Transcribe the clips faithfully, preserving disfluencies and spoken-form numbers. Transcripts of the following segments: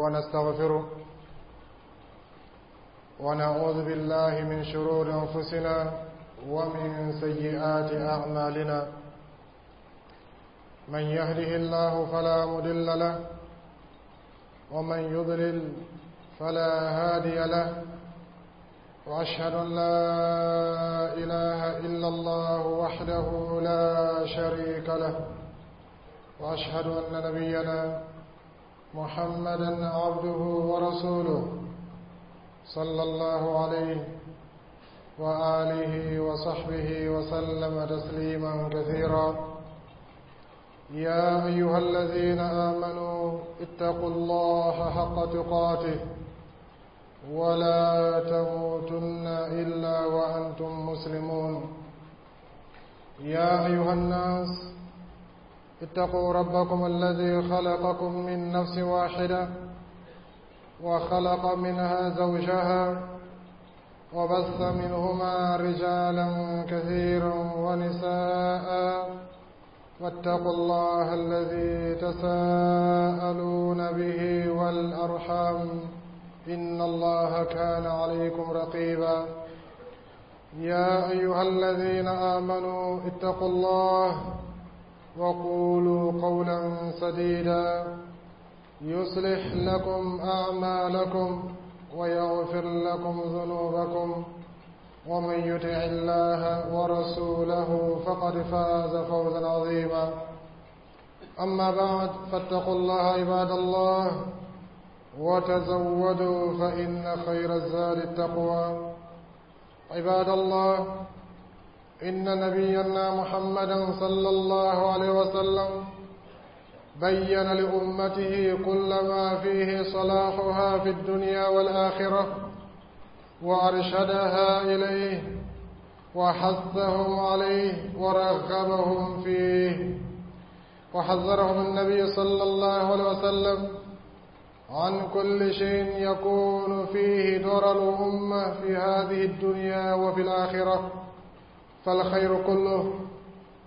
ونستغفره ونعوذ بالله من شرور أنفسنا ومن سيئات أعمالنا. من يهده الله فلا مضل له ومن يضلل فلا هادي له، وأشهد أن لا إله إلا الله وحده لا شريك له، وأشهد أن نبينا محمدا عبده ورسوله صلى الله عليه وآله وصحبه وسلم تسليما كثيرا. يا أيها الذين آمنوا اتقوا الله حق تقاته ولا تموتن إلا وأنتم مسلمون. يا أيها الناس اتقوا ربكم الذي خلقكم من نفس واحدة وخلق منها زوجها وبث منهما رجالا كثيرا ونساء، واتقوا الله الذي تساءلون به والأرحام إن الله كان عليكم رقيبا. يا أيها الذين آمنوا اتقوا الله وقولوا قولا سديدا يصلح لكم أعمالكم ويغفر لكم ذنوبكم، ومن يطع الله ورسوله فقد فاز فوزا عظيما. أما بعد، فاتقوا الله عباد الله وتزودوا فإن خير الزاد التقوى. عباد الله، إن نبينا محمدا صلى الله عليه وسلم بين لأمته كل ما فيه صلاحها في الدنيا والآخرة، وأرشدها إليه وحثهم عليه ورغبهم فيه، وحذرهم النبي صلى الله عليه وسلم عن كل شيء يكون فيه ضرر الأمة في هذه الدنيا وفي الآخرة. فالخير كله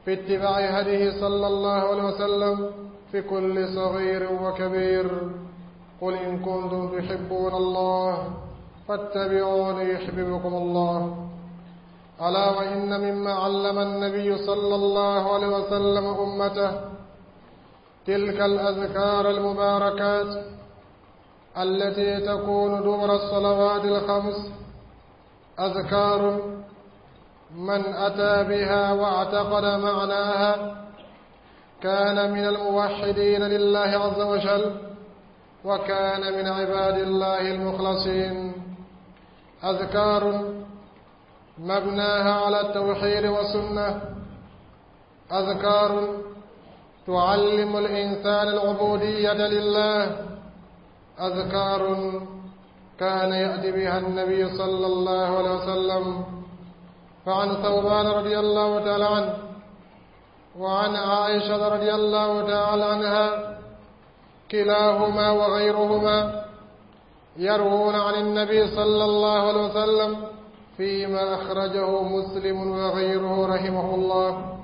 في اتباع هديه صلى الله عليه وسلم في كل صغير وكبير. قل إن كنتم تحبون الله فاتبعوني يحببكم الله. ألا وإن مما علم النبي صلى الله عليه وسلم أمته تلك الأذكار المباركات التي تكون دبر الصلوات الخمس، أذكار من أتى بها واعتقد معناها كان من الموحدين لله عز وجل، وكان من عباد الله المخلصين. أذكار مبناها على التوحيد والسنة، أذكار تعلم الإنسان العبودية لله، أذكار كان يأتي بها النبي صلى الله عليه وسلم. فعن ثوبان رضي الله تعالى عنه وعن عائشة رضي الله تعالى عنها كلاهما وغيرهما يروون عن النبي صلى الله عليه وسلم فيما أخرجه مسلم وغيره رحمه الله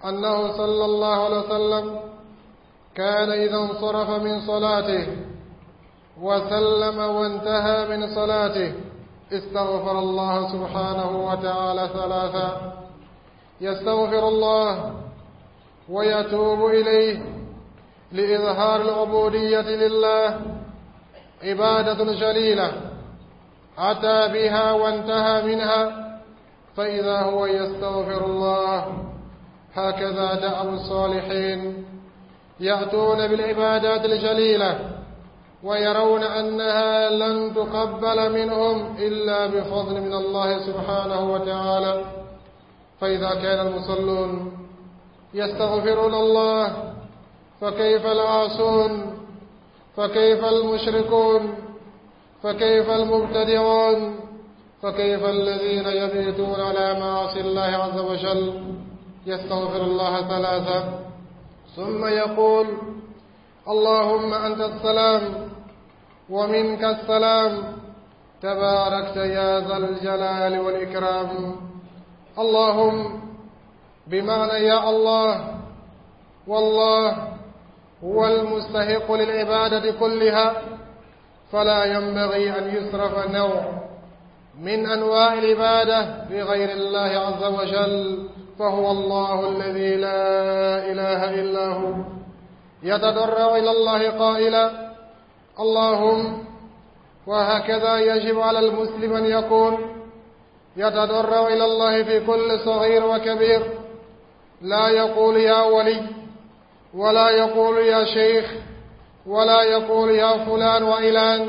أنه صلى الله عليه وسلم كان إذا انصرف من صلاته وسلم وانتهى من صلاته استغفر الله سبحانه وتعالى ثلاثا، يستغفر الله ويتوب إليه لإظهار العبودية لله، عبادة جليلة أتى بها وانتهى منها، فإذا هو يستغفر الله. هكذا دأب الصالحين يأتون بالعبادات الجليلة ويرون أنها لن تقبل منهم إلا بفضل من الله سبحانه وتعالى. فإذا كان المصلون يستغفرون الله فكيف العاصون، فكيف المشركون، فكيف المبتدعون، فكيف الذين يبيتون على معاصي الله عز وجل. يستغفر الله ثلاثة ثم يقول: اللهم أنت السلام ومنك السلام، تباركت يا ذا الجلال والإكرام. اللهم بمعنى يا الله، والله هو المستحق للعبادة كلها، فلا ينبغي أن يصرف نوع من أنواع العبادة لغير الله عز وجل، فهو الله الذي لا إله إلا هو. يتضرع إلى الله قائلا: اللهم. وهكذا يجب على المسلم أن يكون يتضرع إلى الله في كل صغير وكبير. لا يقول يا ولي، ولا يقول يا شيخ، ولا يقول يا فلان وإلان،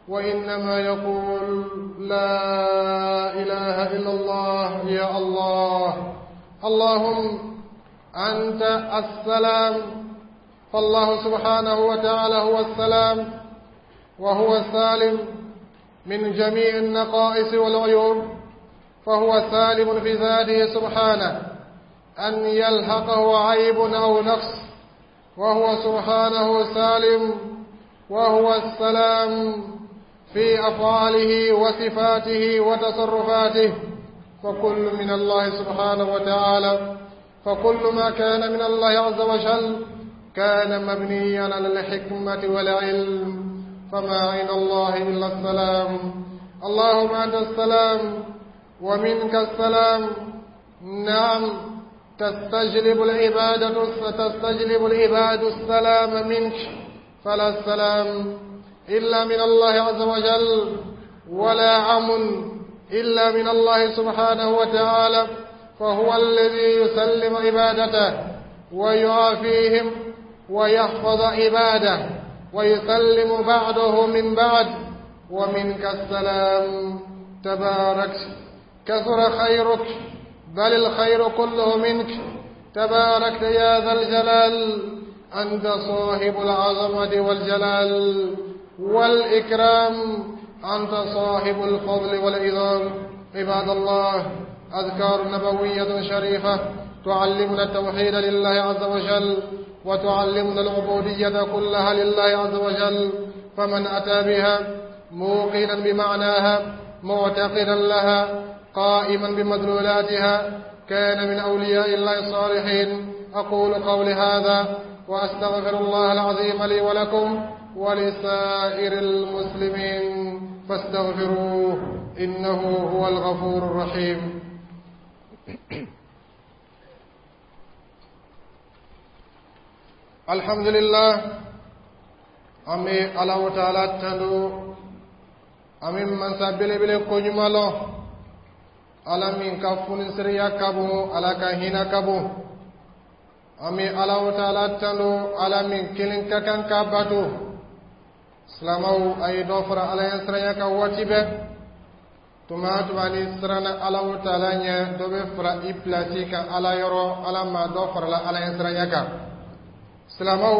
وإنما يقول: لا إله إلا الله، يا الله، اللهم أنت السلام. فالله سبحانه وتعالى هو السلام، وهو السالم من جميع النقائص والعيوب، فهو سالم في ذاته سبحانه أن يلحقه عيب أو نقص، وهو سبحانه سالم، وهو السلام في أفعاله وصفاته وتصرفاته. فكل من الله سبحانه وتعالى، فكل ما كان من الله عز وجل كان مبنيا على الحكمة والعلم، فما عند الله إلا السلام. اللهم أنت السلام ومنك السلام. نعم، تستجلب العبادة تستجلب العباد السلام منك، فلا السلام إلا من الله عز وجل، ولا أمن إلا من الله سبحانه وتعالى، فهو الذي يسلم عبادته ويعافيهم ويحفظ عباده ويسلم بعضه من بعد. ومنك السلام، تبارك، كثر خيرك، بل الخير كله منك. تباركت يا ذا الجلال، أنت صاحب العظمة والجلال والإكرام، أنت صاحب الفضل والعظام. عباد الله، أذكار نبوية شريفة تعلمنا التوحيد لله عز وجل، وتعلمنا العبودية كلها لله عز وجل. فمن أتى بها موقنا بمعناها، معتقدا لها، قائما بمدلولاتها، كان من أولياء الله الصالحين. أقول قولي هذا وأستغفر الله العظيم لي ولكم ولسائر المسلمين، فاستغفروه إنه هو الغفور الرحيم. الحمد لله، أمي الله تعالى تندو أمي من سبيل بل كنيمالو ala min ka funisiriya ka bon, ala ka hinɛ ka bon. An bɛ Alahu taala tando, ala min kelen ka kan ka bato. Silamɛw, a ye dɔ fara Ala ɲɛsiranya kan waati bɛɛ. Tuma tuma ni siranna Alahu taala ɲɛ, dɔ bɛ fara i pilasi kan Ala yɔrɔ, Ala ma dɔ farala Ala ɲɛsiranya kan. Silamɛw,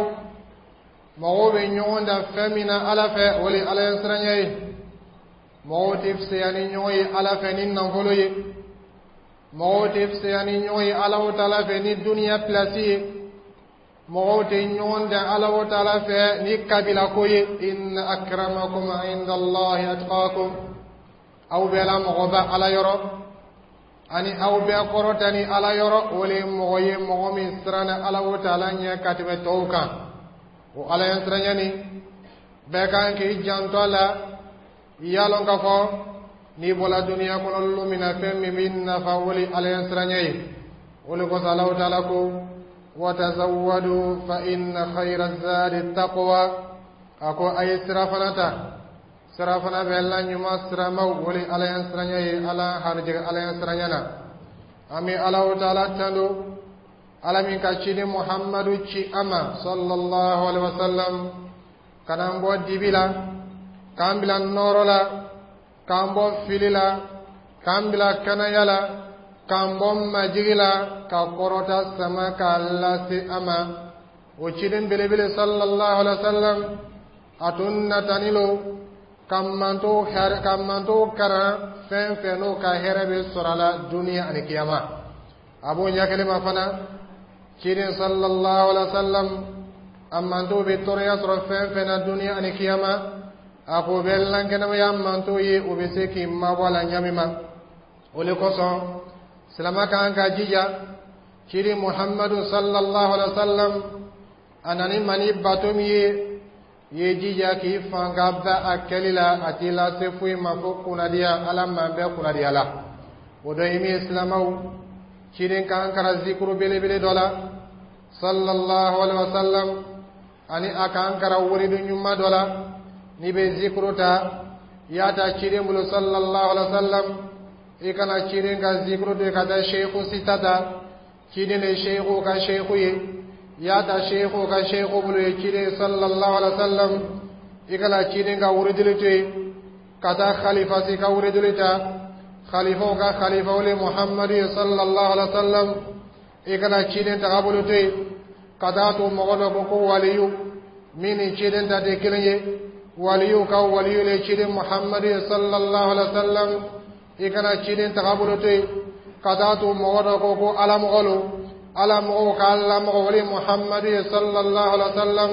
mɔgɔw bɛ ɲɔgɔn da fɛn min na Ala fɛ, o de ye Ala ɲɛsiranya ye. Mɔgɔw tɛ fisaya ni ɲɔgɔn ye Ala fɛ ni nafolo ye, mɔgɔw tɛ fisaya ni ɲɔgɔn ye Alahu taala fɛ ni duniya pilasi ye, mɔgɔw tɛ ɲɔgɔn dan Alahu taala fɛ ni kabilako ye. Inna akramakum inda Allahi atqakum. Aw bɛɛ la mɔgɔba Ala yɔrɔ ani aw bɛɛ kɔrɔta ni Ala yɔrɔ, o le ye mɔgɔ ye, mɔgɔ min siranna Alahu taala ɲɛ ka tɛmɛ tɔw kan. O Ala ɲɛsiranya nin, bɛɛ kan k'i janto a la. I y'a lɔn k'a fɔ n'i bɔra duniya kɔnɔ lon min na, fɛn min b'i nafa, o le Ala ɲɛsiranya ye. O le kosɔn Alahu taala ko: watazawwadu fa inna khayra zadi taqwa. A ko a ye sirafana ta, sirafana bɛ la ɲuman siramaw, o le Ala ɲɛsiranya ye. Ala harijɛgɛ Ala ɲɛsiranya na. An bɛ Alahu taala tando, Ala min ka ciden Muhammadu ci a ma sallallahu alaihi wa sallam, ka n'an bɔ dibi la k'an bila nɔɔrɔ la, k'an bɔ fili la, k'an bila kɛnɛya la, k'an bɔ majigi la, ka kɔrɔta sama k'a lase a ma. O ciden belebele sallallahu alaihi wa sallam, a tun natani lo ka manto hɛrɛ, ka manto karan fɛn fɛn n'o ka hɛrɛ bɛ sɔrɔ a la duniya ani kiyama. A b'o ɲɛ kelen ma fana, ciden sallallahu alaihi wa sallam, a manto bɛ tɔɔrɔya sɔrɔ fɛn fɛn na duniya ani kiyama, a ko bɛ lankɛnɛmaya manto ye, o bɛ se k'i mabɔ a la ɲa min ma. O le kosɔn silama kan ka jija. Ciden Muhammadu sallallahu alaihi wa sallam, a nani ma ni bato min ye, I ye jija k'i fanga ba a kɛli la, a t'i lase foyi ma fo kunnadiya. Ala man bɛɛ kunnadiya la. O dɔ ye min ye, silamɛw, ciden k'an karan zikuru belebele dɔ la, sallallahu alaihi wa sallam, ani a k'an karan wuridu ɲuman dɔ la. N'i bɛ zikuru ta, i y'a ta ciden bolo, sallallahu alaihi wa sallam. I kana ciden ka zikuru to ka taa seyiku sita ta. Ciden de seyiku ka seyiku ye. I y'a ta seyiku ka seyiku bolo ye, ciden sallallahu alaihi wa sallam. I kana ciden ka wuridili to yen ka taa khalifa si ka wuridili ta. Khalifaw ka khalifaw le Muhammadu ye, sallallahu alaihi wa sallam. I kana ciden tagabolo to yen ka taa to mɔgɔ dɔ ko ko waliyu min ni ciden ta tɛ kelen ye. Waliyu ka waliyu le ciden Muhammadu ye, sallallahu alaihi wa sallam. I kana ciden tagabolo to yen ka taa to mɔgɔ dɔ ko ko ala mɔgɔ lo. Ala mɔgɔw ka ala mɔgɔ wale Muhammadu ye, sallallahu alaihi wa sallam.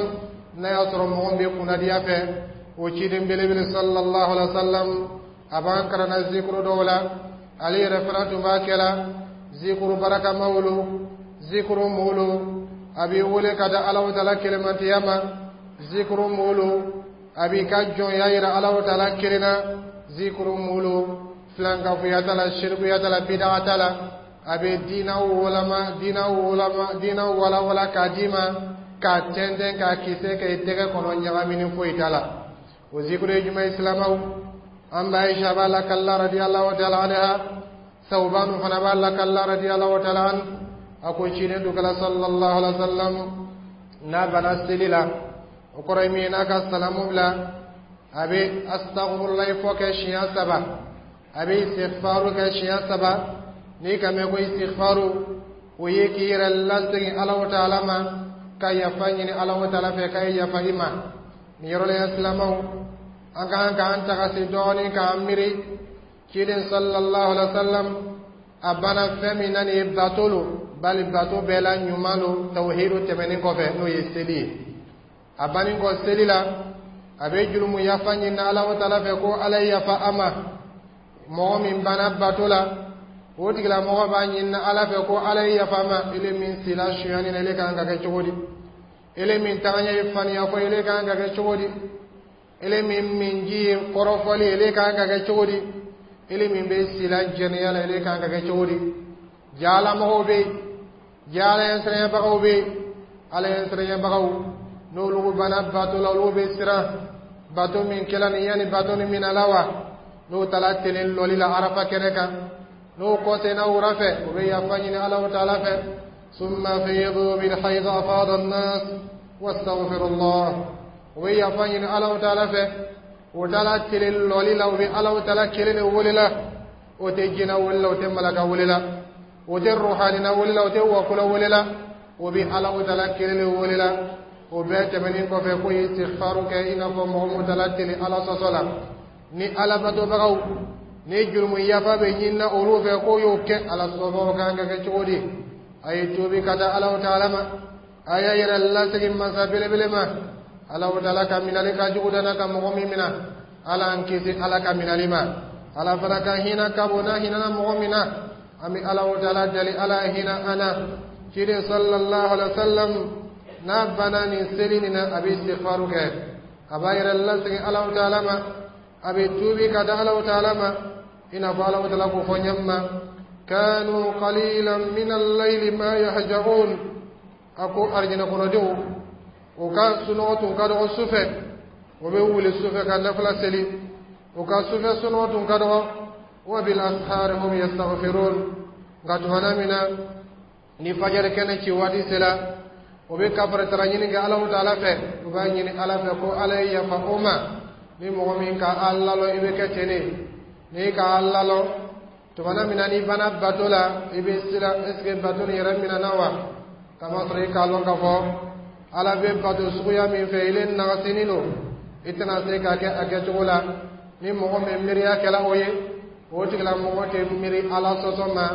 N'a y'a sɔrɔ mɔgɔ min bɛ kunnadiya fɛ, o ciden belebele, sallallahu alaihi wa sallam, a b'an karanna zikuru dɔw la. Ale yɛrɛ fana tun b'a kɛ la zikuru barakamaw lo, zikuru mɔw lo a b'i wele ka da Alahu taala kelemantiya ma, zikuru mɔw lo a b'i ka jɔnya yira Alahu taala kelen na, zikuru mɔw lo filankafoya t'a la, sirikuya t'a la, bidaga t'a la. A bɛ diina wolama, diina wolama, diina walawala k'a d'i ma, k'a tɛntɛn, k'a kisɛ kɛ i tɛgɛ kɔnɔ, ɲagamini foyi t'a la. O zikuru ye jumɛn ye, silamɛw? An ba Aisha b'a lakalla, radiyallahu ta'ala anha, Sawbanu fana b'a lakalla, radiyallahu ta'ala an. A ko ciden dukala, sallallahu alaihi wa sallam, n'a bana seli la, o kɔrɔ ye min ye, n'a ka salamu bila, a bɛ astaghfirullah fɔ kɛ siɲɛ saba, a bɛ istighfaru kɛ siɲɛ saba. N'i ka mɛn ko istighfaru, o ye k'i yɛrɛ lasegin Alahu taala ma, ka yafa ɲini Alahu taala fɛ k'a ye yafa i ma. Nin yɔrɔ la, silamɛw, an ka kan k'an tagasi dɔɔnin k'an miiri. Ciden sallallahu alaihi wa sallam, a banna fɛn min na, nin ye bato lo, bali bato bɛɛ la ɲuman lo tawhidu tɛmɛnen kɔfɛ, n'o ye seli ye. A banni kɔ seli la, a bɛ jurumu yafa ɲini Alahu taala fɛ ko Ala ye yafa a ma. Mɔgɔ min banna bato la, o tigilamɔgɔ b'a ɲini Ala fɛ ko Ala ye yafa a ma. Ele min sila sonyani na, ele kan ka kɛ cogo di? Ele min tagaɲɛ ye faniya fɔ, ele kan ka kɛ cogo di? Ele min minji ye kɔrɔfɔli, ele kan ka kɛ cogo di? Ele min bɛ sila jɛnɛya la, ele kan ka kɛ cogo di? Jalamɔgɔw bɛ yen, ja Ala ɲɛsiranɲɛbagaw bɛ yen. Ala ɲɛsiranɲɛbagaw, n'olu banna bato la, olu bɛ siran bato min kɛla nin yanni bato nin minɛ la wa. N'o taara telen lɔli la Arafa kɛnɛ kan, n'o kɔsɛnna wura fɛ, o bɛ yafa ɲini Alahu taala fɛ. ثم أفيضوا من حيث أفاض الناس واستغفروا الله. O bɛ yafa ɲini Alahu taala fɛ. O taara telen lɔli la, o bɛ Alahu taala kelen de wele la. O tɛ jinɛ wele la, o tɛ malaka wele la, o tɛ ruhanina wele la, o tɛ wakolo wele la, o bɛ Alahu taala kelen de wele la. O bɛɛ tɛmɛnen kɔfɛ, ko ye istighfaru kɛ i n'a fɔ mɔgɔ min taara telen Ala sɔsɔ la. Ni Alabatobagaw ni jurumu yafa bɛ ɲinina olu fɛ, k'o y'o kɛ, Ala sɔsɔ kan ka kɛ cogo di? A ye tuubi ka taa Alahu taala ma, a y'a yɛrɛ lasegin masa belebele ma. Alahu taala ka minali ka jugu dana ka mɔgɔ min mina, Ala an kisi Ala ka minali ma. Ala fana ka hinɛ ka bon n'a hinɛna mɔgɔ min na. An bɛ Alahu taala dali, Ala hinɛ an na. Ciden sallallahu alaihi wa sallam, n'a banna nin seli nin na, a bɛ istighfaru kɛ, a b'a yɛrɛ lasegin Alahu taala ma, a bɛ tuubi ka da Alahu taala ma, i n'a fɔ Alahu taala k'o fɔ ɲɛ ma: كانوا قليلا من الليل ما يهجعون. A ko arijinɛ kɔnɔdenw, o ka sunɔgɔ tun ka dɔgɔ sufɛ, o bɛ wuli sufɛ ka nafila seli, o ka sufɛ sunɔgɔ tun ka dɔgɔ. وبالأسحار هم يستغفرون. Nka tumana min na ni fajari kɛnɛ ci waati sera, o bɛ kafaritara ɲini kɛ Alahu taala fɛ, o b'a ɲini Ala fɛ ko Ala ye yafa o ma. Ni mɔgɔ min ka Ala lalɔ, i bɛ kɛ ten de. N'i ka Ala lalɔ, tumana min na n'i banna bato la, i bɛ siran: est ce que bato nin yɛrɛ minɛna wa? Kamasɔrɔ i k'a lɔn k'a fɔ Ala bɛ bato suguya min fɛ, ile nagasinin don, i tɛna se k'a kɛ a kɛcogo la. Ni mɔgɔ min miiriya kɛla o ye, o tigilamɔgɔ tɛ miiri Ala sɔsɔ ma.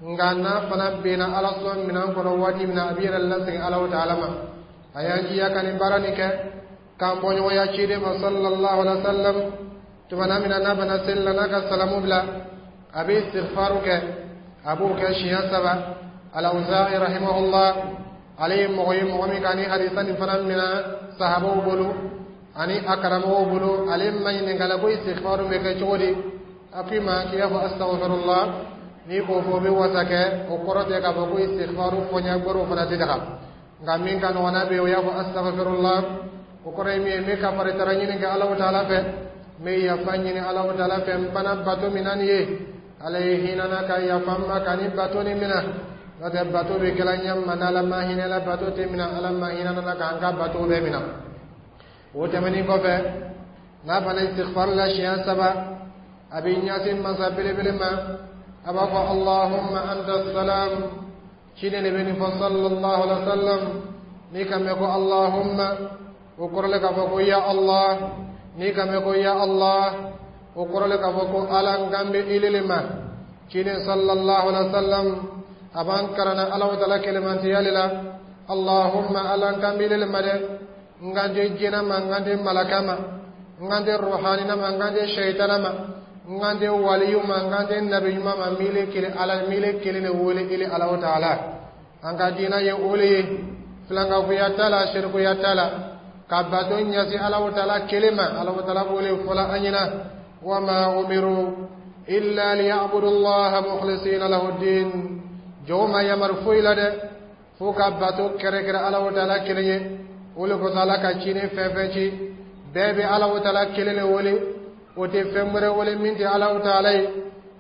Nka n'a fana benna Ala sɔsɔ minɛn kɔnɔ waati min na, a b'i yɛrɛ lasegin Alahu taala ma. A y'an jiya ka nin baara nin kɛ k'an bɔɲɔgɔnya ciden ma, sallallahu alaihi wa sallam. Tumana min na n'a bana seli la, n'a ka salamu bila, a bɛ istighfaru kɛ, a b'o kɛ siɲɛ saba. Alawuza'i rahimahullah, ale ye mɔgɔ ye, mɔgɔ min ka ni hadisa nin fana minɛ sahabaw bolo. Ani a karamɔgɔw bolo, ale ma ɲininkala ko istighfaru bɛ kɛ cogo di. A ko i ma k'i b'a fɔ astaghfirullah, n'i k'o fɔ, o bɛ wasa kɛ. O kɔrɔ tɛ k'a fɔ ko istighfaru fɔɲɛ gbɛrɛw fana tɛ daga, nka min ka nɔgɔn n'a bɛ ye, o y'a fɔ astaghfirullah. O kɔrɔ ye min ye, n bɛ kafaritara ɲini kɛ Alahu taala fɛ, n bɛ yafa ɲini Alahu taala fɛ. N bana bato min na nin ye, Ala ye hinɛ na ka yafa n ma ka ni bato nin minɛ. N'o tɛ, bato bɛ kɛla ɲɛ ma, n'Ala ma hinɛ la, bato tɛ minɛ. Ala ma hinɛ na k'an ka bato bɛɛ minɛ. O tɛmɛnen kɔfɛ, n'a banna istighfar la siɲɛ saba, a bɛ ɲɛsin masa belebele ma, a b'a fɔ allahumma anta salam. Ciden de bɛ nin fɔ, sallallahu alaihi wa sallam. N'i ka mɛn ko allahumma, o kɔrɔ le k'a fɔ ko ya Allah. N'i ka mɛn ko ya Allah, o kɔrɔ le k'a fɔ ko Ala, n kan bɛ ile le ma. Ciden sallallahu alaihi wa sallam a b'an karanna Alahu taala kɛlɛmantiya le la. Allahumma, Ala, n kan bɛ ile le ma dɛ. N kan tɛ jinɛ ma, n kan tɛ malaka ma, n kan tɛ ruhanina ma, n kan tɛ shaitana ma, n kan tɛ waliyu ma, n kan tɛ nabi ɲuman ma. Mile kelen Ala, mile kelen de wele, ile Alahu taala. An ka diina ye o le ye, filankafoya t'a la, sirikuya t'a la, ka bato ɲɛsin Alahu taala kelen ma. Alahu taala b'o le fɔla an ɲɛna: wama umiru illa liyabudu allaha mukhlisina lahu din. Jɔnw ma yamaru foyi la dɛ, fo ka bato kɛrɛkɛrɛ Alahu taala kelen ye. O le kosɔn, Ala ka ciden fɛn fɛn ci, bɛɛ bɛ Alahu taala kelen de wele, o tɛ fɛn wɛrɛ wele min tɛ Alahu taala ye.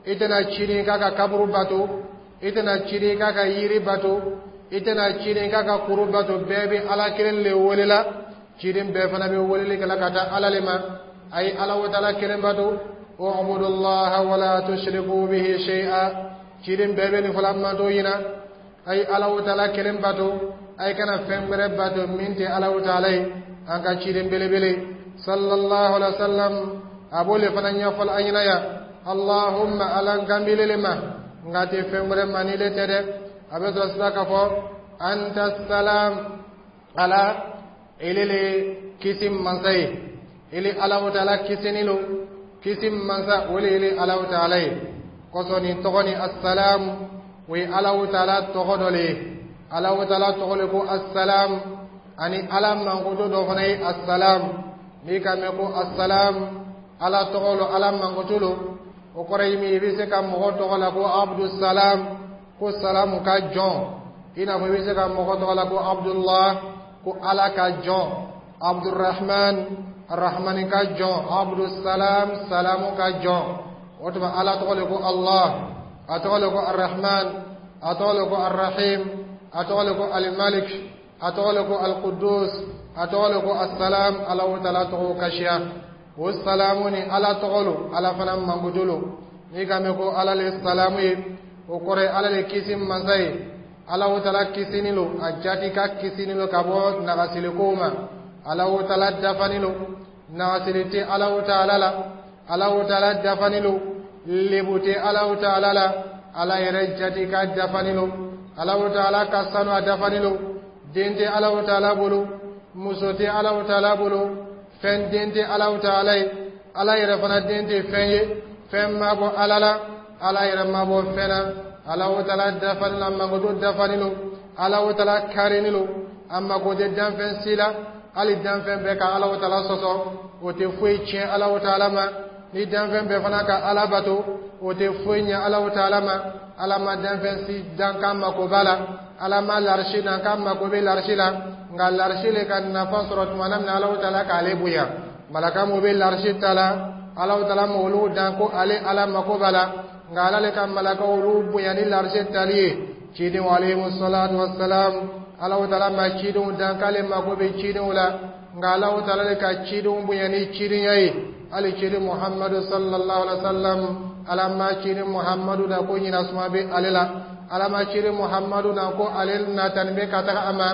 I tɛna ciden k'a ka kaburu bato, i tɛna ciden k'a ka yiri bato, i tɛna ciden k'a ka kuru bato. Bɛɛ bɛ Ala kelen de wele la. Ciden bɛɛ fana bɛ weleli kɛla ka taa Ala le ma: a ye Alahu taala kelen bato, ubudu allaha wala tushriku bihi shay'a. Ciden bɛɛ bɛ nin fɔla manto ɲina: a ye Alahu taala kelen bato, a ye kana fɛn wɛrɛ bato min tɛ Alahu taala ye. An ka ciden belebele sallallahu alaihi wa sallam a b'o le fana ɲɛfɔla an ɲɛna yan: allahumma, Ala, n kan b'ile le ma, n ka tɛ fɛn wɛrɛ ma ni le tɛ dɛ. A bɛ sɔrɔ sisan k'a fɔ anta salam. Ala, ele le kisi mansa ye, ele Alahu taala kisini lo, kisi mansa o le ele Alahu taala ye. Kɔsɔn nin tɔgɔ ni asalamu, o ye Alahu taala tɔgɔ dɔ le ye. Alahu taala tɔgɔ le ko asalam, ani Ala mankutu dɔ fana ye asalam. N'i ka mɛn ko asalam, Ala tɔgɔ lo, Ala mankutu lo, o kɔrɔ ye min ye, i bɛ se ka mɔgɔ tɔgɔ la ko Abdusalam, ko salamu ka jɔn. I n'a fɔ i bɛ se ka mɔgɔ tɔgɔ la ko Abdullah, ko Ala ka jɔn, Abdurrahman, Arrahmani ka jɔn, Abdusalam, salamu ka jɔn. O tuma, Ala tɔgɔ le ko Allah, a tɔgɔ le ko Arrahman, a tɔgɔ le ko Arrahim, a tɔgɔ le ko Alimalik, a tɔgɔ le ko Alqudus, a tɔgɔ le ko Assalam. Alahu taala tɔgɔ ka siya. O salamu ni Ala tɔgɔ lo, Ala fana mankutu lo. N'i ka mɛn ko Ala le salamu ye, o kɔrɔ ye Ala le kisi mansa ye. Alahu taala kisini lo, a jati ka kisini lo ka bɔ nagasili ma. Alahu taala dafani lo, nagasili tɛ Alahu taala la. Alahu taala dafani lo, lebu tɛ Alahu taala la. Ala yɛrɛ jati ka dafani lo. Alahu taala ka sanu, a dafani lo. Den tɛ Alahu taala bolo, muso tɛ Alahu taala bolo, fɛn den tɛ Alahu taala ye. Ala yɛrɛ fana den tɛ fɛn ye, fɛn ma bɔ Ala la, Ala yɛrɛ ma bɔ fɛn na. Alahu taala dafani la, mankutu dafani lo. Alahu taala karini lo, a mako tɛ danfɛn si la. Hali danfɛn bɛɛ ka Alahu taala sɔsɔ, o tɛ foyi tiɲɛ Alahu taala ma. Ni danfɛn bɛɛ fana ka Ala bato, o tɛ foyi ɲɛ Alahu taala ma. Ala ma danfɛn si dan k'a mako b'a la. Ala ma larisi dan k'a mako bɛ larisi la, nka larisi le ka nafa sɔrɔ tuma na min na Alahu taala k'ale bonya. Malaka mun bɛ larisi ta la, Alahu taala ma olu dan ko ale Ala mako b'a la, nka Ala le ka malaka olu bonya ni larisi tali ye. Cidenw alayhi salatu wasalam, Alahu taala ma cidenw dan k'ale mako bɛ cidenw la, nka Alahu taala le ka cidenw bonya ni cidenya ye. Hali ciden Muhammadu sallallahu alaihi wa sallam, Ala ma ciden Muhammadu da ko ɲina suma bɛ ale la. Ala ma ciden Muhammadu na ko ale natani bɛ ka taga a ma,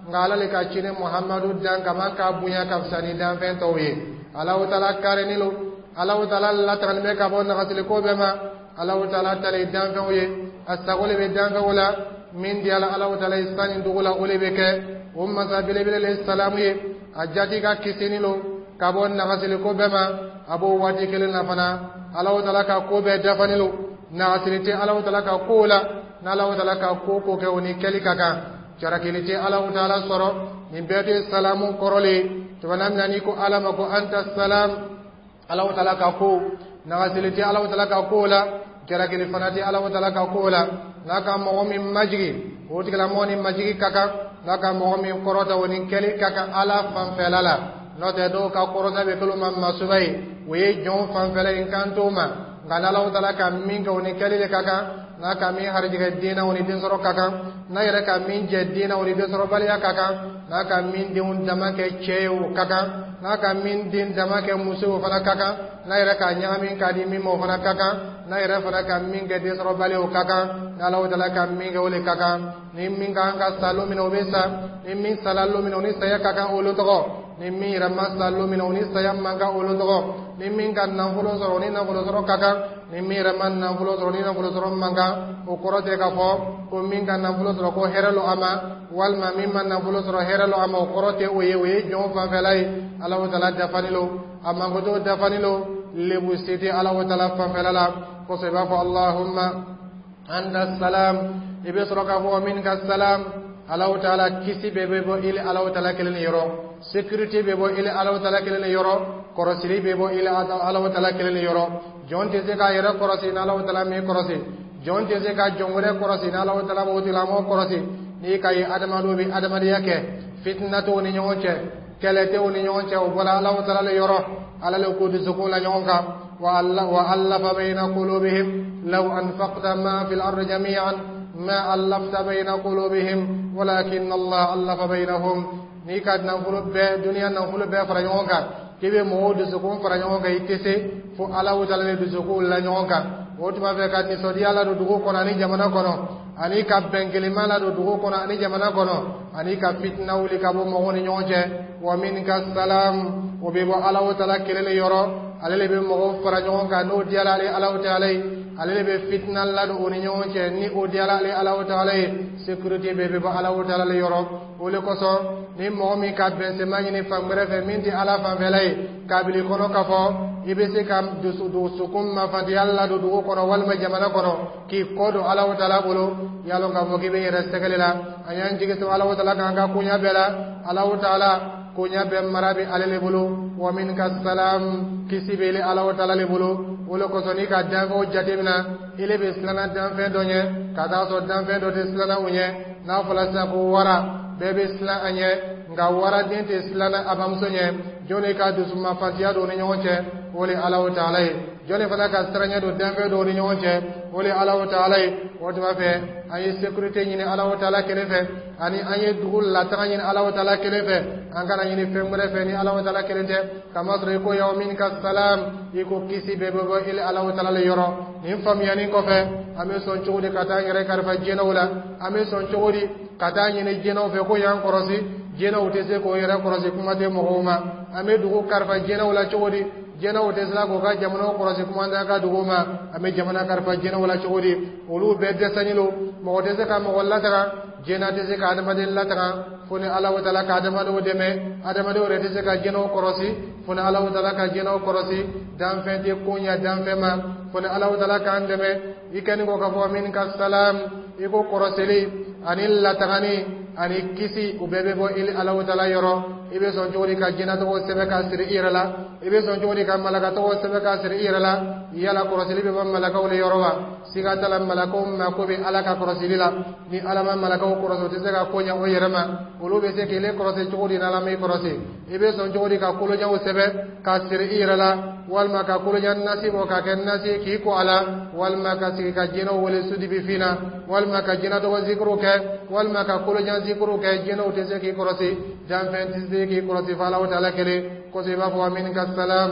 nka Ala le ka ciden Muhammadu dan kama k'a bonya ka fisa ni danfɛn tɔw ye. Alahu taala karini lo, Alahu taala latagani bɛ ka bɔ nagasiliko bɛɛ ma. Alahu taala ta le danfɛnw ye, a sago le bɛ danfɛnw la. Min diyala Alahu taala ye san ni dugu la, o le bɛ kɛ. O masa belebele le salamu ye, a jati ka kisini lo ka bɔ nagasiliko bɛɛ ma. A b'o waati kelen na fana, Alahu taala ka ko bɛɛ dafani lo, nagasili tɛ Alahu taala ka kow la. N'Alahu taala ka ko ko kɛ, o ni kɛli ka kan, jarakili tɛ Alahu taala sɔrɔ. Nin bɛɛ tɛ salamu kɔrɔ le ye. Tuma min na n'i ko Ala ma ko anta salam, Alahu Taala ka ko nagasili tɛ Alahu Taala ka ko la, jalakili fana tɛ Alahu Taala ka ko la. N'a ka mɔgɔ min majigi, o tigilamɔgɔ ni majigi ka kan. N'a ka mɔgɔ min kɔrɔta, o ni kɛli ka kan Ala fanfɛla la. N'o tɛ, dɔw ka kɔrɔta bɛ kɛlɛ ma masuba ye, o ye jɔn fanfɛla ye, n kan t'o ma. Nka n'Alahu Taala ka min kɛ, o ni kɛli de ka kan. N'a ka min harijigɛ den na, o ni den sɔrɔ ka kan. N'a yɛrɛ ka min jɛ den na, o ni den sɔrɔbaliya ka kan. N'a ka min denw dama kɛ cɛ ye, o ka kan. N'a ka min den dama kɛ muso ye, o fana ka kan. N'a yɛrɛ ka ɲagami k'a di min ma, o fana ka kan. N'a yɛrɛ fana ka min kɛ den sɔrɔbali, o ka kan. N'Alahu Taala ka min kɛ, o de ka kan. Ni min kan ka sa lon min na, o bɛ sa. Ni min sala lon min na, o ni saya ka kan o lon tɔgɔ. Ni min yɛrɛ ma sa lon min na, o ni saya man kan o lon tɔgɔ. Ni min ka nafolo sɔrɔ, o ni nafolo sɔrɔ ka kan. Ni min yɛrɛ ma nafolo sɔrɔ, ni nafolo sɔrɔ man kan. O kɔrɔ tɛ k'a fɔ ko min ka nafolo sɔrɔ, ko hɛrɛ lo a ma, walima min ma nafolo sɔrɔ, hɛrɛ lo a ma. O kɔrɔ tɛ o ye. O ye jɔn fanfɛla ye. Alahu Taala dafani lo, a mankoto dafani lo, lebu se tɛ Alahu Taala fanfɛla la. Kosɔn i b'a fɔ allahumma anta salam, i bɛ sɔrɔ k'a fɔ minka salam. Alahu Taala, kisi bɛɛ bɛ bɔ ile Alahu Taala kelen yɔrɔ, sécurité bɛ bɔ ile Alahu Taala kelen yɔrɔ, kɔrɔsili bɛ bɔ ile Alahu Taala kelen yɔrɔ. Jɔn tɛ se k'a yɛrɛ kɔrɔsi n'Alahu Taala m'i kɔrɔsi. Jɔn tɛ se ka jɔn wɛrɛ kɔrɔsi n'Alahu Taala b'o tigilamɔgɔ kɔrɔsi. N'i ka ye adamadenw bɛ adamadenya kɛ, fitina t'u ni ɲɔgɔn cɛ, kɛlɛ t'u ni ɲɔgɔn cɛ, o bɔra Alahu Taala le yɔrɔ. Ala le k'u dusukun la ɲɔgɔn kan. وألف بين قلوبهم لو أنفقت ما في الأرض جميعا ما ألفت بين قلوبهم ولكن الله ألف بينهم. N'i ka nafolo bɛɛ, duniya nafolo bɛɛ fara ɲɔgɔn kan k'i bɛ mɔgɔw dusukun fara ɲɔgɔn kan, i tɛ se, fo Ala taala de dusukun la ɲɔgɔn kan. O tuma fɛ ka nisɔndiya ladon dugu kɔnɔ ani jamana kɔnɔ, ani ka bɛn kelenma ladon dugu kɔnɔ ani jamana kɔnɔ, ani ka fitina wuli ka bɔ mɔgɔw ni ɲɔgɔn cɛ. Wa minka salam, o bɛ bɔ Ala taala kelen de yɔrɔ. Ale de bɛ mɔgɔw fara ɲɔgɔn kan n'o diyara ale Ala taala ye. Ale de bɛ fitina ladon o ni ɲɔgɔn cɛ ni o diyara ale Ala taala ye. Sécurité bɛɛ bɛ bɔ Ala taala le yɔrɔ. O de kosɔn, ni mɔgɔ min ka bɛnsɛma ɲini fan wɛrɛ fɛ min tɛ Ala fanfɛla ye, kabili kɔnɔ k'a fɔ i bɛ se ka dusu dusukun mafantiya ladon dugu kɔnɔ walima jamana kɔnɔ, k'i kɔ don Ala taala bolo, y'a lɔn k'a fɔ k'i bɛ yɛrɛ sɛgɛli la. An y'an jigi sɛmɛ Ala taala k'an ka koɲa bɛɛ la. Ala taala, koɲa bɛɛ mara bɛ ale le bolo. Wa minka salam, kisi bɛ Ala taala le bolo. O le kosɔn, n'i ka danfɛnw jateminɛ, ile bɛ siranna danfɛn dɔ ɲɛ ka taa sɔrɔ danfɛn dɔ tɛ siranna o ɲɛ. N'a fɔra sisan ko wara, bɛɛ bɛ siran a ɲɛ, nka waraden tɛ siranna a bamuso ɲɛ. Jɔnni ka dusumafantiya don ni ɲɔgɔn cɛ? O le Ala taala ye. Jɔnni fana ka siranɲɛ don danfɛn dɔw ni ɲɔgɔn cɛ? O le Ala taala ye. O tuma fɛ, an ye sécurité ɲini Ala taala kelen fɛ, ani an ye dugu lataga ɲini Ala taala kelen fɛ. An kana ɲini fɛn wɛrɛ fɛ ni Ala taala kelen tɛ. Kamasɔrɔ i ko wa minka salam, i ko kisi bɛɛ bɛ bɔ ile Ala taala le yɔrɔ. Nin faamuyani kɔfɛ, an bɛ sɔn cogo di ka taa an yɛrɛ kalifa jinɛw la? An bɛ sɔn cogo di ka taa ɲini jinɛw fɛ ko y'an kɔrɔsi? Jinɛw tɛ se k'o yɛrɛ kɔrɔsi, kuma tɛ mɔgɔw ma. An bɛ dugu kalifa jinɛw la cogo di? Jinɛw tɛ se k'u ka jamanaw kɔrɔsi, kuma tɛ ka dugu ma. An bɛ jamana kalifa jinɛw la cogo di? Olu bɛɛ dɛsɛlen don. Mɔgɔ tɛ se ka mɔgɔ lataga, jinɛ tɛ se ka adamaden lataga fo ni Ala taala ka adamadenw dɛmɛ. Adamadenw yɛrɛ tɛ se ka jinɛw kɔrɔsi fo ni Ala taala ka jinɛw kɔrɔsi. Danfɛn tɛ ko ɲɛ danfɛn ma fo ni Ala taala k'an dɛmɛ. I kɛni kɔ k'a fɔ minka salam, i ko kɔrɔsili ani latagani ani kisi, o bɛɛ bɛ bɔ i Ala taala yɔrɔ. I bɛ sɔn cogo di ka jinɛ tɔgɔ sɛbɛn k'a siri i yɛrɛ la? I bɛ sɔn cogo di ka malaka tɔgɔ sɛbɛn k'a siri i yɛrɛ la? Yala kɔrɔsili bɛ bɔ malakaw le yɔrɔ wa? Siga t'a la, malakaw mako bɛ Ala ka kɔrɔsili la. Ni Ala ma malakaw kɔrɔsi, o tɛ se ka ko ɲɛ o yɛrɛ ma. Olu bɛ se k'ile kɔrɔsi cogo di n'Ala m'i kɔrɔsi? I bɛ sɔn cogo di ka kolojanw sɛbɛn k'a siri i yɛrɛ la, walima ka kolojan nasi bɔ k'a kɛ nasi k'i ko a la, walima ka sigi ka jinɛw wele sudibifin na, walima ka jinɛ tɔgɔ zikuru kɛ, walima ka kolojan zikuru kɛ? Jinɛw tɛ se k'i kɔrɔsi, danfɛn tɛ se k'i kɔrɔsi fo Ala taala kelen kosɔn. I b'a fɔ minka salam,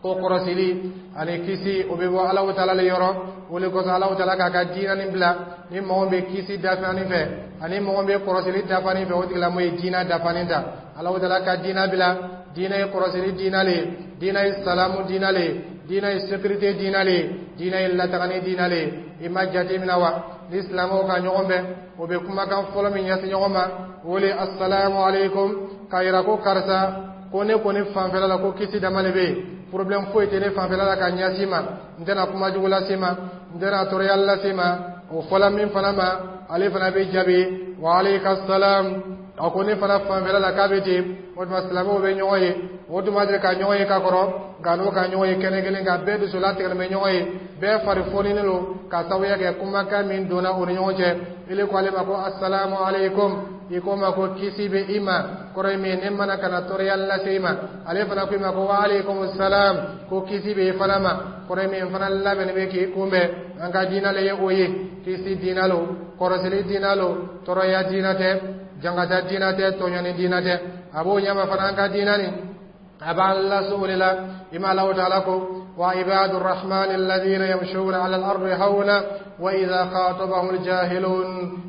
ko kɔrɔsili ani kisi, o bɛ bɔ Ala taala le yɔrɔ. O le kosɔn, Ala taala k'a ka diinɛ nin bila. Ni mɔgɔ bɛ kisi dafani fɛ ani mɔgɔ bɛ kɔrɔsili dafani fɛ, o tigilamɔgɔ ye diinɛ dafani ta. Ala taala ka diinɛ bila, diinɛ ye kɔrɔsili diinɛ le ye, diinɛ ye salamu diinɛ le ye, diinɛ ye sécurité diinɛ le ye, diinɛ ye latagani diinɛ le ye. I ma jate minɛ wa? Ni silamɛw ka ɲɔgɔn bɛn, o bɛ kumakan fɔlɔ min ɲɛsin ɲɔgɔn ma, o le assalamu alaikum, k'a yira ko karisa, ko ne kɔni fanfɛla la, ko kisi dama de bɛ yen, problème foyi tɛ ne fanfɛla la ka ɲɛsin ma, n tɛna kuma jugu lase ma, n tɛna tɔɔrɔya lase ma. O fɔla min fana ma, ale fana bɛ jaabi wa aleyka salam, a ko ne fana fanfɛla la k'a bɛ ten. O tuma silamɛw bɛ ɲɔgɔn ye, o tuma deli ka ɲɔgɔn ye ka kɔrɔ, nka n'o ka ɲɔgɔn ye kɛnɛ kelen kan, bɛɛ dusu latigɛlen bɛ ɲɔgɔn ye, bɛɛ fari foninen don ka sababuya kɛ kumakan min donna o ni ɲɔgɔn cɛ. Ile ko ale ma ko assalamu alaikum, i ko ma ko kisi bɛ i ma, kɔrɔ ye min ye, ne mana kana tɔɔrɔya lase i ma. Ale fana ko i ma ko wa alaikum salam, ko kisi bɛ i fana ma, kɔrɔ ye min ye, fana labɛnnen bɛ k'i kunbɛn. An ka diinɛ le ye o ye, kisi diinɛ lo, kɔrɔsili diinɛ lo, tɔɔrɔya diinɛ tɛ, jangata diinɛ tɛ, tɔɲɔni diinɛ tɛ. A b'o ɲɛma fana, an ka diinɛ nin a b'an lase o de la. I ma Alahu taala ko wa ibadu rahmani alladhina yamshuna ala al-ardi hawna wa idha khatabahum al-jahilun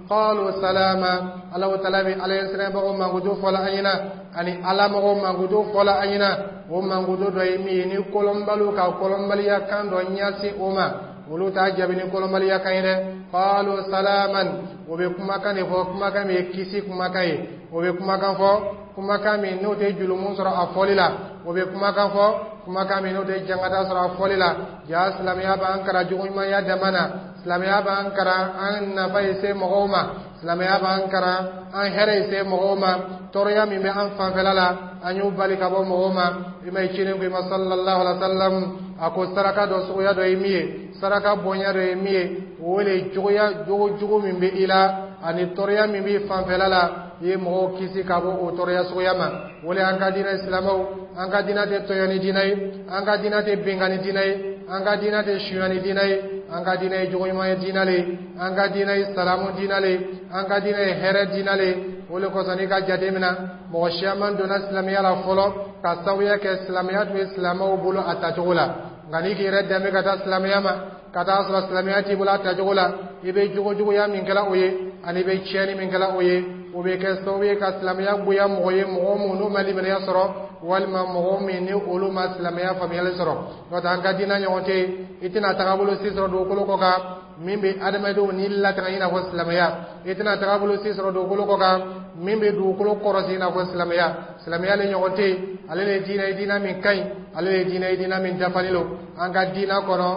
qalu salama. Alahu taala bɛ Ala ɲɛsiranbagaw mankutu fɔla an ɲɛna, ani Ala mɔgɔw mankutu fɔla an ɲɛna. O mankutu dɔ ye min ye, ni kɔlɔnbaliw ka kɔlɔnbaliya kan dɔ ɲɛsin o ma, olu t'a jaabi ni kɔlɔnbaliya kan ye dɛ. Qalu salaman, o bɛ kumakan de fɔ, kumakan min ye kisi kumakan ye. O bɛ kumakan fɔ, kumakan min n'o tɛ julumun sɔrɔ a fɔli la. O bɛ kumakan fɔ, kumakan min n'o tɛ jangata sɔrɔ a fɔli la. Ja silamɛya b'an kalan jogoɲumanya dama na, silamɛya b'an kalan an nafa ye se mɔgɔw ma, silamɛya b'an kalan an hɛrɛ ye se mɔgɔw ma. Tɔɔrɔya min bɛ an fanfɛla la, an y'o bali ka bɔ mɔgɔw ma. I ma ye ciden ko i ma sallallahu alaihi wa sallam, a ko saraka dɔ suguya dɔ ye min ye, saraka bonya dɔ ye min ye, o le jogoya jogo jugu min bɛ i la ani tɔɔrɔya min b'i fanfɛla la, i ye mɔgɔw kisi ka bɔ o tɔɔrɔya suguya ma. O le an ka diinɛ silamɛw, an ka diinɛ tɛ tɔɲɔni diinɛ ye, an ka diinɛ tɛ binkanni diinɛ ye, an ka diinɛ tɛ suyani diinɛ ye. An ka diinɛ ye jogoɲuman ye diinɛ le ye, an ka diinɛ ye salamu diinɛ le ye, an ka diinɛ ye hɛrɛ diinɛ le ye. O le kosɔn, n'i ka jate minɛ, mɔgɔ siyaman donna silamɛya la fɔlɔ ka sababuya kɛ silamɛya tun bɛ silamɛw bolo a tacogo la. Nka n'i k'i yɛrɛ dɛmɛ ka taa silamɛya ma, ka taa sɔrɔ silamɛya t'i bolo a tacogo la, i bɛ jogojuguya min kɛla o ye ani i bɛ tiɲɛni min kɛla o ye, o bɛ kɛ sababu ye ka silamɛya goya mɔgɔ ye, mɔgɔ mun n'u ma limaniya sɔrɔ, walima mɔgɔ min ni olu ma silamɛya faamuyali sɔrɔ. N'o tɛ, an ka diinɛ ɲɔgɔn tɛ yen. I tɛna tagabolo si sɔrɔ dugukolo kɔ kan min bɛ adamadenw ni latanga i n'a fɔ silamɛya. I tɛna tagabolo si sɔrɔ dugukolo kɔ kan min bɛ dugukolo kɔrɔsi i n'a fɔ silamɛya. Silamɛya le ɲɔgɔn tɛ yen. Ale le ye diinɛ ye, diinɛ min ka ɲi. Ale le ye diinɛ ye, diinɛ min dafalen don. An ka diinɛ kɔnɔ,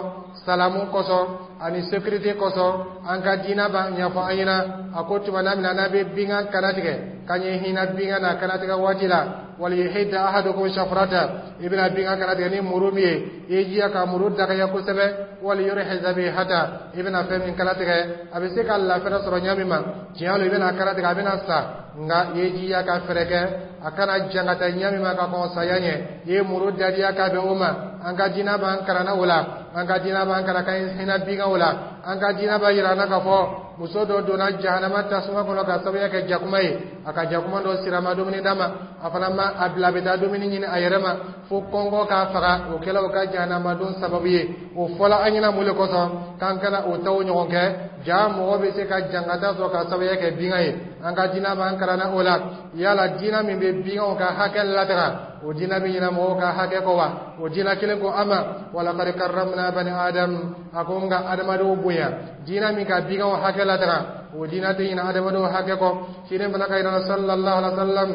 salamu kosɔn ani sécurité kosɔn, an ka diinɛ b'a ɲɛfɔ an ɲɛna. A ko tuma na min na n'a bɛ binkan kana tigɛ, k'an ye hinɛ binkan na kana tigɛ waati la, waliyuhidda ahadukum shafrata, i bɛna binkan kana tigɛ ni muru min ye, i ye jija ka muru dagaya kosɛbɛ. Waliyurih zabihata, i bɛna fɛn min kana tigɛ, a bɛ se ka lafɛrɛ sɔrɔ ɲɛ min ma. Tiɲɛ don, i bɛna kana tigɛ, a bɛna sa, nka i ye jija ka fɛɛrɛ kɛ a kana jan ka taa ɲɛ min ma ka kɔn saya ɲɛ, i ye muru dadiya ka bɛn o ma. An ka diinɛ b'an kalan o la, an ka diinɛ b'an kalan ka hinɛ binkan o la. An ka diinɛ b'a yira an na k'a fɔ muso dɔ donna jahanama tasuma kɔnɔ ka sababuya kɛ jakuma ye. A ka jakuma dɔ sira ma dumuni d'a ma, a fana ma a bila a bɛ taa dumuni ɲini a yɛrɛ ma fo kɔngɔ k'a faga. O kɛla o ka jahanama don sababu ye. O fɔla an ɲɛna mun de kosɔn? K'an kana o taw ɲɔgɔn kɛ. Ja mɔgɔ bɛ se ka jankata sɔrɔ ka sababuya kɛ binkan ye. An ka diinɛ b'an kalan o la. Yala diinɛ min bɛ binkanw ka hakɛ lataga, o diinɛ bɛ ɲinɛ mɔgɔw ka hakɛ kɔ wa? O diinɛ kelen ko a ma walaqad karramna bani adam, a ko n ka adamadenw bonya. Diinɛ min ka binkanw hakɛ lataga, o diinɛ tɛ ɲinɛ adamadenw hakɛ kɔ. Ciden fana ka yira sallallahu alaihi wa sallam,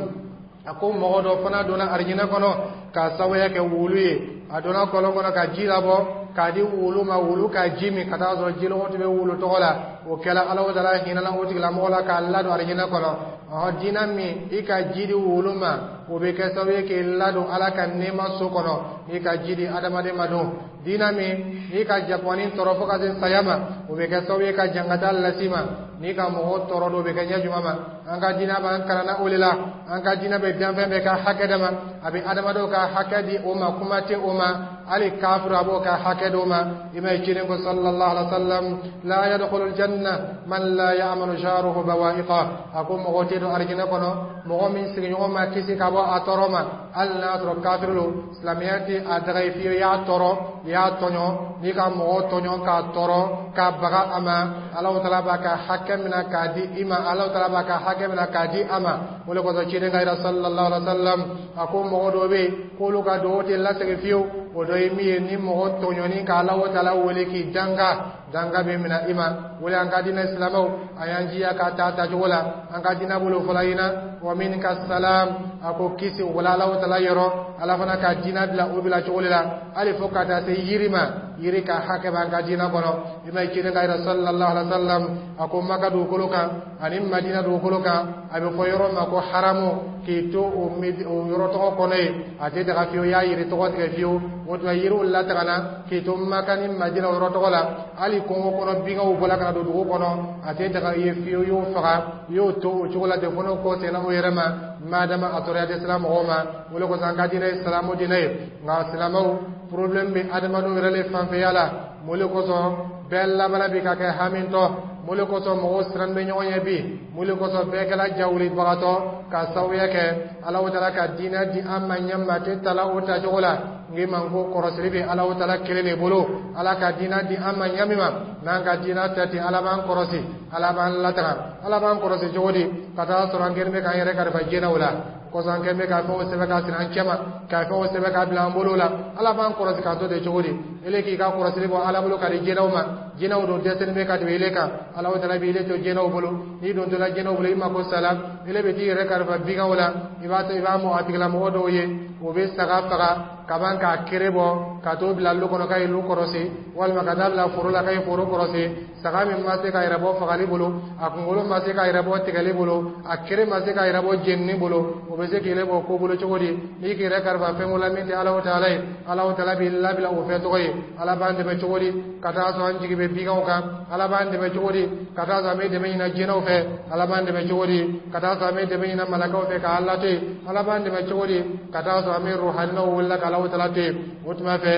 a ko mɔgɔ dɔ fana donna arijinɛ kɔnɔ k'a sababuya kɛ wulu ye. A donna kɔlɔn kɔnɔ ka ji labɔ k'a di wulu ma, wulu ka ji min, ka taa sɔrɔ jilɔgɔ tun bɛ wulu tɔgɔ la. O kɛla Ala taala hinɛna o tigilamɔgɔ la k'a ladon arijinɛ kɔnɔ. Ɔhɔn, diinɛ min i ka ji di wulu ma, o bɛ kɛ sababu ye k'i ladon Ala ka nɛɛma so kɔnɔ, n'i ka ji di adamaden ma don. Diinɛ min n'i ka jakumani tɔɔrɔ fo ka se saya ma, o bɛ kɛ sababu ye ka jankata las'i ma. N'i ka mɔgɔw tɔɔrɔ don, o bɛ kɛ ɲɛ jumɛn ma? An ka diinɛ b'an kalan o de la. An ka diinɛ bɛ danfɛn bɛɛ ka hakɛ d'a ma, a bɛ adamadenw ka hakɛ di o ma, kuma tɛ o ma, hali kafiru a b'o ka hakɛ d'o ma. I ma ye ciden ko sallallahu alaihi wa sallam, la yadkhulu aljanna man la ya'manu jaruhu bawa'iqa, a ko mɔgɔ tɛ don arijinɛ kɔnɔ mɔgɔ min sigiɲɔgɔn ma kisi ka bɔ a tɔɔrɔ ma, hali n'a sɔrɔ kafiru don. Silamɛya tɛ a daga ye fiyewu i y'a tɔɔrɔ, i y'a tɔɲɔ. N'i ka mɔgɔ tɔɲɔ k'a tɔɔrɔ k'a baga a ma, Alahu taala b'a ka hakɛ minɛ k'a di i ma, Alahu taala b'a ka hakɛ minɛ k'a di a ma. O de kosɔn ciden ka yira sallallahu alaihi wa sallam, a ko mɔgɔ dɔw bɛ yen k'olu ka dugawu tɛ lasegin fiyewu. O dɔ ye min ye, ni mɔgɔ tɔɲɔni ka Alahu taala wele k'i danga, danga bɛ minɛ i ma. O le an ka diinɛ silamɛw, a y'an jiya k'a ta tacogo la. An ka diinɛ bolo fɔlɔ ɲina wa minka salam, a ko kisi o bɔla Alahu Taala yɔrɔ. Ala fana ka diinɛ bila o bila cogo de la, hali fo ka taa se yiri ma. Yiri ka hakɛ b'an ka diinɛ kɔnɔ. I ma ye, ciden ka yɛrɛ sallallahu alaihi wa sallam, a ko Maka dugukolo kan ani Madina dugukolo kan, a bɛ fɔ yɔrɔ ma ko haramu, k'i to o yɔrɔ tɔgɔ kɔnɔ yen, a tɛ daga fiyewu i y'a yiri tɔgɔ tigɛ fiyewu. O tuma yiriw latagana k'i to Maka ni Madina o yɔrɔ tɔgɔ la. Hali kungo kɔnɔ binkanw bɔla ka na don dugu kɔnɔ, a tɛ daga i ye fiyewu i y'o faga, i y'o to o cogo la ten fo n'o ko senna o yɛrɛ ma, madama a tɔɔrɔya tɛ sira mɔgɔw ma. O de kosɔn an ka diinɛ ye silamɛw diinɛ ye. Nka silamɛw, problème bɛ adamadenw yɛrɛ le fanfɛya la. Mun de kosɔn bɛɛ labanna bi ka kɛ hamintɔ? Mun de kosɔn mɔgɔw siran bɛ ɲɔgɔn ɲɛ bi? Mun de kosɔn bɛɛ kɛra jawulibagatɔ? Ka sababuya kɛ Alahu Taala ka diinɛ di an ma ɲɛ ma tɛ tala o tacogo la. N k'i ma ko kɔrɔsili bɛ Alahu Taala kelen de bolo. Ala ka diinɛ di an ma ɲɛ min ma, n'an ka diinɛ tɛ ten, Ala b'an kɔrɔsi, Ala b'an lataga. Ala b'an kɔrɔsi cogo di? Ka taa sɔrɔ an kɛlen bɛ k'an yɛrɛ kalifa jinɛw la kɔsɔn, an kɛlen bɛ ka fɛnw sɛbɛn ka siri an cɛma, ka fɛnw sɛbɛn ka bila an bolo la. Ala b'an kɔrɔsi k'an to ten cogo di? Ele k'i ka kɔrɔsili bɔ Ala bolo ka di jinɛw ma. Jinɛw dun dɛsɛlen bɛ ka tɛmɛ ele kan. Alahu Taala b'i to jinɛw bolo. N'i dontɔla jinɛw bolo, i mako sala, ele bɛ t'i yɛrɛ kalifa biganw la. I b'a to i b'a mɔ a tigilamɔgɔ dɔw ye, o bɛ saga faga kaban k'a kere bɔ ka t'o bila lu kɔnɔ k'a ye lu kɔrɔsi, walima ka taa bila foro la k'a ye foro kɔrɔsi. Saga min ma se ka yɛrɛ bɔ fagali bolo, a kunkolo ma se ka yɛrɛ bɔ tigɛli bolo, a kere ma se ka yɛrɛ bɔ jenini bolo, o bɛ se k'i bɔ ko bolo cogo di? N'i k'i yɛrɛ kalifa fɛn ko la min tɛ Alahu Taala ye, Alahu Taala b'i labila o fɛn tɔgɔ ye. Ala b'an dɛmɛ cogo di ka taa sɔrɔ an jigi bɛ biganw kan? Ala b'an dɛmɛ cogo di ka taa sɔrɔ an bɛ dɛmɛ ɲini jinɛw fɛ? Ala b'an dɛmɛ cogo di ka taa sɔrɔ an bɛ dɛmɛ ɲini malakaw fɛ k'a Ala to yen? Ala b'an dɛmɛ cogo di ka taa sɔrɔ an bɛ ruhaninaw wele ka Alahu Taala to yen? O tuma fɛ,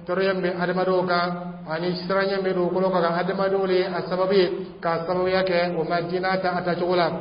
tɔɔrɔya min bɛ adamadenw kan ani siranɲɛ min bɛ dugukolo kan, adamadenw de ye a sababu ye, k'a sababuya kɛ o ma diinɛ ta a tacogo la.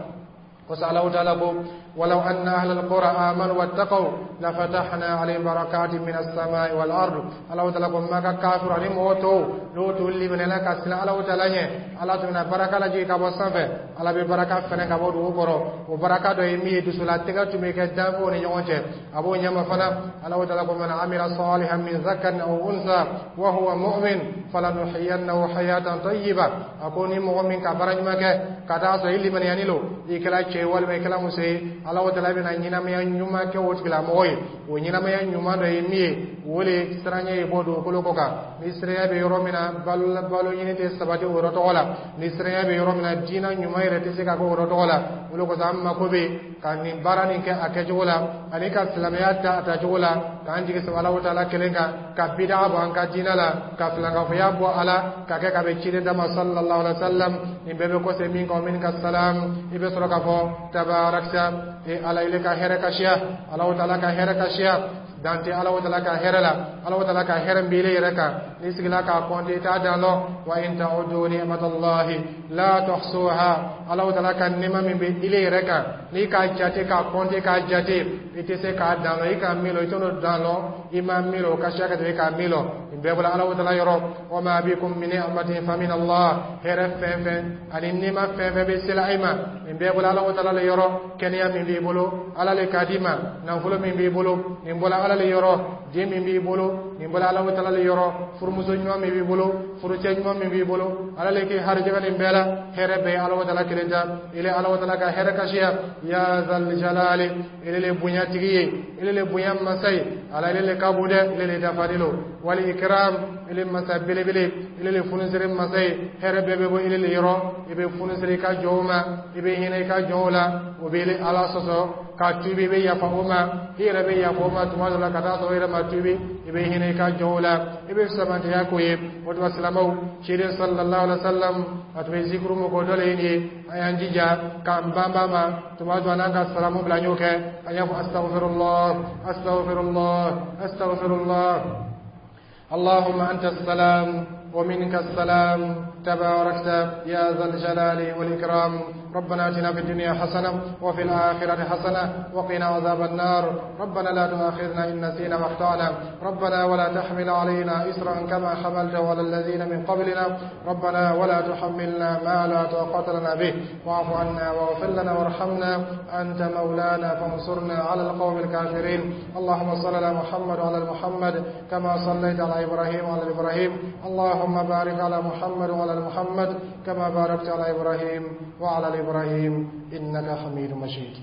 Kosɔn Alahu Taala ko ولو أن أهل القرى آمنوا واتقوا لفتحنا عليهم بركات من السماء والأرض. Alahu Taala ko Maka kafir ani mɔgɔ tɔw, n'o t'u limaniyala ka siran Alahu Taala ɲɛ, Ala tun bɛna baraka lajigin ka bɔ sanfɛ, Ala bɛ baraka fɛnɛ ka bɔ dugu kɔrɔ. O baraka dɔ ye min ye, dusulatigɛ tun bɛ kɛ danfɛnw ni ɲɔgɔn cɛ. A b'o ɲɛma fana, Alahu Taala ko من عمل صالحا من ذكر أو أنثى وهو مؤمن فلنحيينه حياة طيبة. A ko ni mɔgɔ min ka baara ɲuman kɛ ka taa sɔrɔ i limaniyani lo, i kɛra cɛ ye walima i kɛra muso ye, Alahu Taala bɛna ɲɛnamaya ɲuman kɛ o tigilamɔgɔ ye. O ɲɛnamaya ɲuman dɔ ye min ye, o le siranɲɛ ye bɔ dugukolo kɔ kan. Ni siranya bɛ yɔrɔ min na, balo balo ɲini tɛ sabati o yɔrɔ tɔgɔ la. Ni siranya bɛ yɔrɔ min na, diinɛ ɲuman yɛrɛ tɛ se ka kɛ o yɔrɔ tɔgɔ la. O de kosɔn an mako bɛ ka nin baara nin kɛ a kɛcogo la, ani ka silamɛya ta a tacogo la, k'an jigi sɛbɛ Alahu Taala kelen kan, ka bida bɔ an ka diinɛ la, ka filankafoya bɔ a la, ka kɛ ka bɛn ciden dama sallallahu alaihi wa sallam. Nin bɛɛ bɛ kɔsɛ min kan, min ka salam, i bɛ sɔrɔ k'a fɔ tabarakta, e Ala, ile ka hɛrɛ ka siya. Alahu Taala ka hɛrɛ ka siya, dan tɛ Alahu Taala ka hɛrɛ la. Alahu Taala ka hɛrɛ min b'i yɛrɛ kan, n'i sigila k'a kɔnte, i t'a dan lɔn. وإن تعدوا نعمة الله لا تحصوها. Alahu Taala ka nɛɛma min bɛ ile yɛrɛ kan, n'i k'a jate, k'a kɔnte, k'a jate, i tɛ se k'a dan lɔn. I ka min lɔn, i t'o dan lɔn. I ma min lɔn, o ka siya ka tɛmɛ i k'a min lɔn. Nin bɛɛ bɔra Alahu Taala yɔrɔ. وما بكم من نعمة فمن الله. Hɛrɛ fɛn fɛn ani nɛɛma fɛn fɛn bɛ sela i ma, nin bɛɛ bɔra Alahu Taala le yɔrɔ. Kɛnɛya min b'i bolo, Ala le k'a d'i ma. Nafolo min b'i bolo, nin bɔra Ala le yɔrɔ. Den min b'i bolo, nin bɔra Alahu Taala le yɔrɔ. Furumuso ɲuman min b'i bolo, furucɛ ɲuman min b'i bolo, Ala le k'i harijɛgɛ nin bɛɛ la. Hɛrɛ bɛɛ ye Alahu Taala kelen ta. Ile Alahu Taala ka hɛrɛ kasiya. يا ذا الجلال, ile le bonyatigi ye, ile le bonya masa ye. Ala, ile le ka bon dɛ, ile le dafalen lo. والإكرام, ile masa belebele, ile le funisere masa ye. Hɛrɛ bɛɛ bɛ bɔ ile le yɔrɔ. I bɛ funisere i ka jɔnw ma, i bɛ hinɛ i ka jɔnw la. O bɛ ile Ala sɔsɔ ka tuubi, i bɛ yafa o ma, i yɛrɛ bɛ yafa o ma tuma dɔ la ka taa sɔrɔ i yɛrɛ ma tuubi. I bɛ hinɛ i ka jɔnw la, i bɛ samantiya k'o ye. O tuma silamɛw, ciden sallallahu alaihi wa sallam, a tun bɛ zikuru min k'o dɔ le ye nin ye. An y'an jija k'an banba ma tuma dɔ n'an ka salamu bila, an y'o kɛ, an y'a fɔ astaghfirullah, astaghfirullah, astaghfirullah. اللهم أنت السلام ومنك السلام، تباركت يا ذا الجلال والإكرام. ربنا آتنا في الدنيا حسنة وفي الآخرة حسنة وقنا عذاب النار. ربنا لا تؤاخذنا إن نسينا وأخطأنا. ربنا ولا تحمل علينا إصرا كما حملته على الذين من قبلنا. ربنا ولا تحملنا ما لا طاقة لنا به، واعف عنا واغفر لنا وارحمنا، أنت مولانا فانصرنا على القوم الكافرين. اللهم صل على محمد وعلى آل محمد كما صليت على إبراهيم وعلى آل إبراهيم. اللهم بارك على محمد وعلى آل محمد كما باركت على إبراهيم وعلى آل إبراهيم إنك حميد مجيد.